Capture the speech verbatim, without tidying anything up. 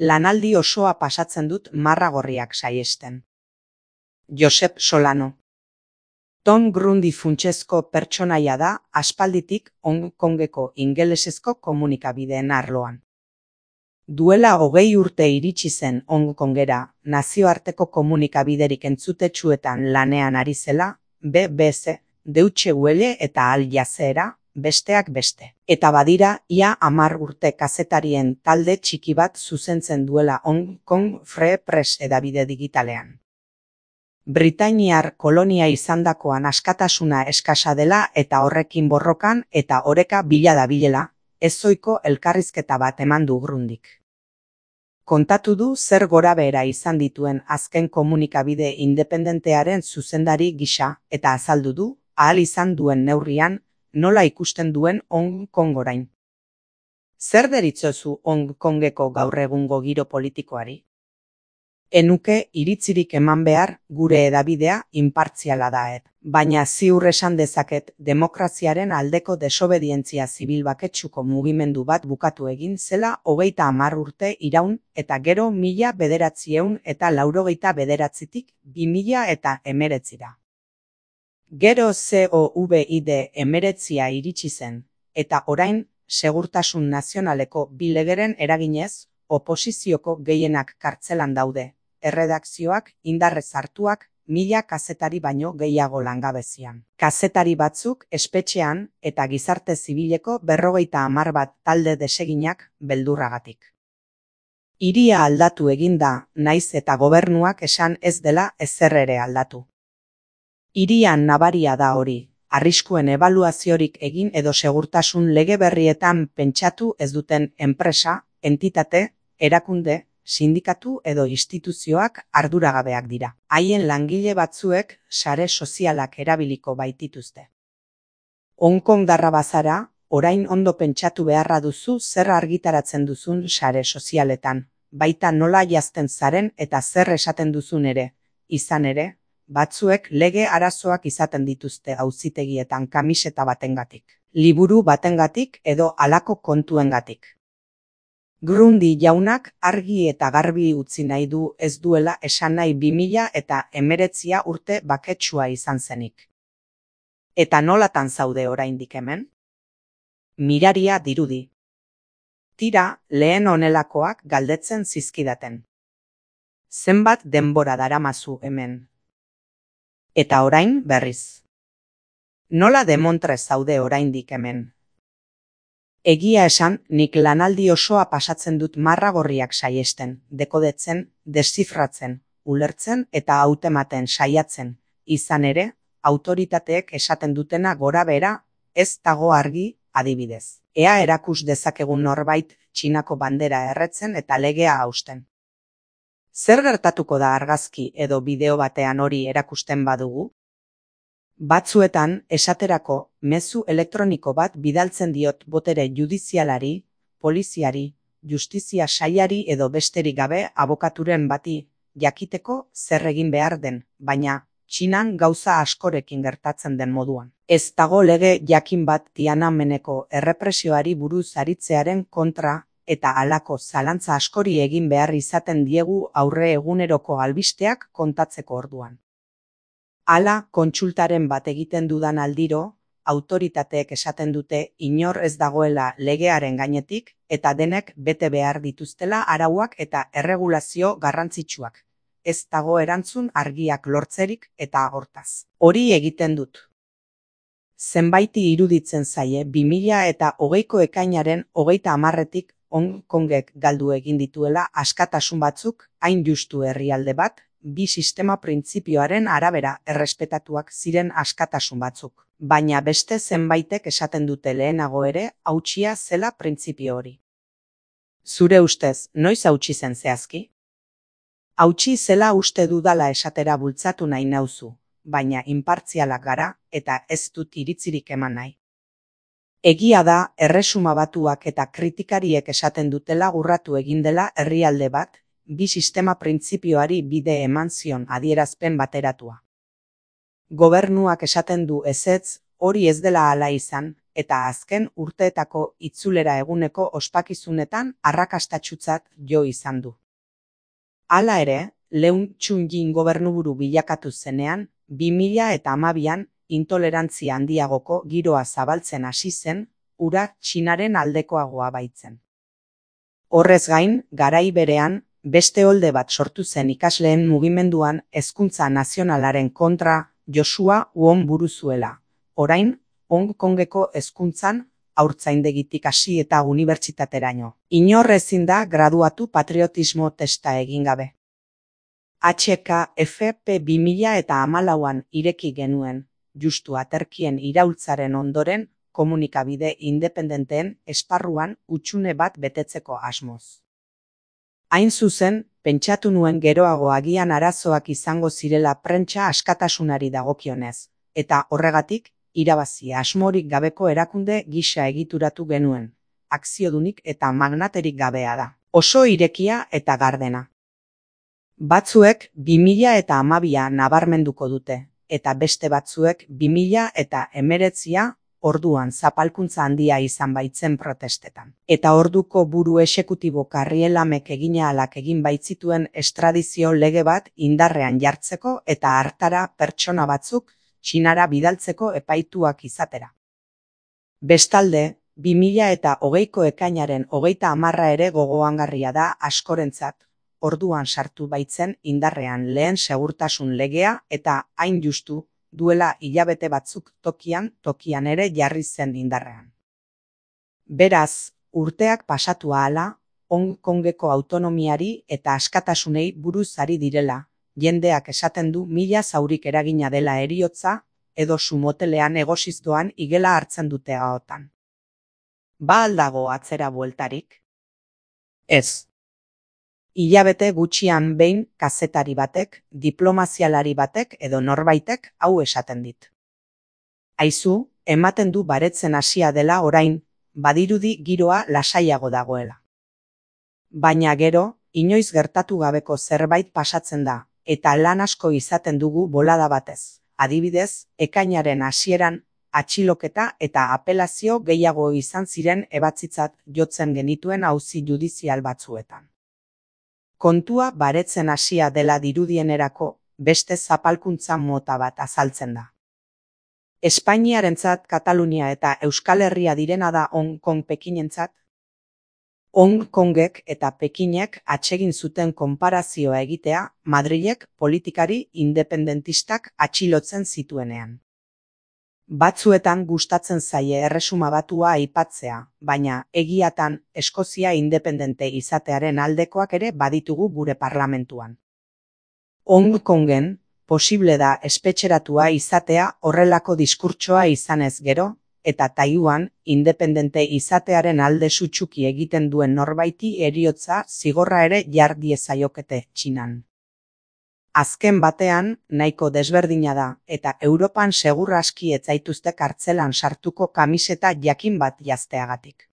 Lanaldi osoa pasatzen dut marra gorriak saihesten. Josep Solano. Tom Grundy funtsezko pertsonaia da aspalditik Hong Kongeko ingelesezko komunikabideen arloan. Duela hogei urte iritsi zen Hong Kongera, nazioarteko komunikabiderik entzutetsuetan lanean ari zela, B B C, Deutsche Welle eta Al Jazeera, besteak beste. Eta badira, ia hamar urte kazetarien talde txiki bat zuzentzen duela Hong Kong Free Press hedabide digitalean. Britainiar kolonia izandakoan askatasuna eskasa dela eta horrekin borrokan eta oreka bila dabilela, ezohiko elkarrizketa bat eman du Grundyk. Kontatu du zer gorabehera izan dituen azken komunikabide independentearen zuzendari gisa eta azaldu du, ahal izan duen neurrian, nola ikusten duen Hong Kong orain. Zer deritzozu Hong Kongeko gaur egungo giro politikoari? Enuke iritzirik eman behar gure hedabidea inpartziala da et, baina ziur esan dezaket demokraziaren aldeko desobedientzia zibil baketsuko mugimendu bat bukatu egin zela hogeita hamar urte iraun eta gero mila bederatziehun eta laurogeita bederatzitik bi mila eta hemeretzira. Gero COVID hemeretzia iritsi zen, eta orain segurtasun nazionaleko bi legeren eraginez, oposizioko gehienak kartzelan daude. Erredakzioak indarrez hartuak mila kazetari baino gehiago langabezian. Kazetari batzuk espetxean eta gizarte zibileko berrogeita hamar bat talde deseginak beldurragatik. Hiria aldatu egin da, naiz eta gobernuak esan ez dela ezer ere aldatu. Hirian nabaria da hori, arriskuen ebaluaziorik egin edo segurtasun lege berrietan pentsatu ez duten enpresa, entitate, erakunde, sindikatu edo instituzioak arduragabeak dira. Haien langile batzuek sare sozialak erabiliko baitituzte. Hong Kong darra bazara, orain ondo pentsatu beharra duzu zer argitaratzen duzun sare sozialetan, baita nola jazten zaren eta zer esaten duzun ere, izan ere, batzuek lege arazoak izaten dituzte auzitegietan kamiseta batengatik, liburu batengatik edo halako kontuengatik. Grundy jaunak argi eta garbi utzi nahi du ez duela esan nahi bi mila eta hemeretzia urte baketsua izan zenik. Eta nolatan zaude oraindik hemen? Miraria dirudi. Tira, lehen honelakoak galdetzen zizkidaten. Zenbat denbora daramazu hemen? Eta orain berriz. Nola demontre zaude oraindik hemen? Egia esan, nik lanaldi osoa pasatzen dut marra gorriak saiesten, dekodetzen, deszifratzen, ulertzen eta hautematen saiatzen, izan ere, autoritateek esaten dutena gora bera, ez dago argi, adibidez. Ea erakus dezakegun norbait Txinako bandera erretzen eta legea hausten. Zer gertatuko da argazki edo bideo batean hori erakusten badugu? Batzuetan, esaterako, mezu elektroniko bat bidaltzen diot botere judizialari, poliziari, justizia sailari edo besterik gabe abokaturen bati, jakiteko zer egin behar den, baina Txinan gauza askorekin gertatzen den moduan. Ez dago lege jakin bat Tiananmeneko errepresioari buruz aritzearen kontra eta halako zalantza askori egin behar izaten diegu aurre eguneroko albisteak kontatzeko orduan. Hala, kontsultaren bat egiten dudan aldiro, autoritateek esaten dute inor ez dagoela legearen gainetik eta denek bete behar dituztela arauak eta erregulazio garrantzitsuak. Ez dago erantzun argiak lortzerik eta hortaz. Hori egiten dut. Zenbaiti iruditzen zaie bi mila eta hogeiko ekainaren hogeita hamarretik Hong Kongek galdu egin dituela askatasun batzuk, hain justu herrialde bat, bi sistema printzipioaren arabera errespetatuak ziren askatasun batzuk, baina beste zenbaitek esaten dute lehenago ere hautsia zela printzipio hori. Zure ustez, noiz hautsi zen zehazki? Hautsi zela uste dudala esatera bultzatu nahi nauzu, baina inpartzialak gara eta ez dut iritzirik eman nahi. Egia da, Erresuma Batuak eta kritikariek esaten dutela urratu egin dela herrialde bat, bi sistema printzipioari bide eman zion adierazpen bateratua. Gobernuak esaten du ezetz, hori ez dela hala izan, eta azken urteetako itzulera eguneko ospakizunetan arrakastatsutzat jo izan du. Hala ere, Leung Chun-ying gobernuburu bilakatu zenean, bi mila eta hamabian intolerantzia handiagoko giroa zabaltzen hasi zen, hura Txinaren aldekoagoa baitzen. Horrez gain, garai berean, beste olde bat sortu zen ikasleen mugimenduan hezkuntza nazionalaren kontra Joshua Wong buru zuela. Orain, Hong Kongeko hezkuntzan haurtzaindegitik hasi eta unibertsitateraino. Inor ezin da graduatu patriotismo testa egin gabe. H K F P bi mila eta hamalauan ireki genuen, justu aterkien iraultzaren ondoren, komunikabide independenteen esparruan hutsune bat betetzeko asmoz. Hain zuzen, pentsatu nuen geroago agian arazoak izango zirela prentsa askatasunari dagokionez, eta horregatik, irabazi asmorik gabeko erakunde gisa egituratu genuen, akziodunik eta magnaterik gabea da. Oso irekia eta gardena. Batzuek bi mila eta hamabia nabarmenduko dute, eta beste batzuek bi mila eta hemeretzia orduan zapalkuntza handia izan baitzen protestetan. Eta orduko buru exekutibo Karrielamek egina alak egin baitzituen estradizio lege bat indarrean jartzeko eta hartara pertsona batzuk Txinara bidaltzeko epaituak izatera. Bestalde, bi mila eta hogeiko ekainaren hogeita hamarra ere gogoangarria da askorentzat, orduan sartu baitzen indarrean lehen segurtasun legea eta hain justu duela hilabete batzuk tokian tokian ere jarri zen indarrean. Beraz, urteak pasatu ahala, Hong Kongeko autonomiari eta askatasunei buruz ari direla, jendeak esaten du mila zaurik eragina dela heriotza, edo sumotelean egosiz doan igela hartzen dute ahotan. Ba aldago atzera bueltarik? Ez. Hilabete gutxian behin kazetari batek, diplomazialari batek edo norbaitek hau esaten dit. Aizu, ematen du baretzen hasia dela orain, badirudi giroa lasaiago dagoela. Baina gero, inoiz gertatu gabeko zerbait pasatzen da, eta lan asko izaten dugu bolada batez. Adibidez, ekainaren hasieran, atxiloketa eta apelazio gehiago izan ziren ebatzitzat jotzen genituen auzi judizial batzuetan. Kontua baretzen hasia dela dirudienerako beste zapalkuntza mota bat azaltzen da. Espainiarentzat Katalunia eta Euskal Herria direna da Hong Kong Pekinentzat. Hong Kongek eta Pekinek atsegin zuten konparazioa egitea Madrilek politikari independentistak atxilotzen zituenean. Batzuetan gustatzen zaie erresuma batua aipatzea, baina egiatan Eskozia independente izatearen aldekoak ere baditugu gure parlamentuan. Hong Kongen posible da espetxeratua izatea horrelako diskurtsoa izanez gero, eta Taiwan independente izatearen alde sutsuki egiten duen norbaiti heriotza zigorra ere jar diezaiokete Txinan. Azken batean, nahiko desberdina da, eta Europan segur aski ez zaituzte kartzelan sartuko kamiseta jakin bat jazteagatik.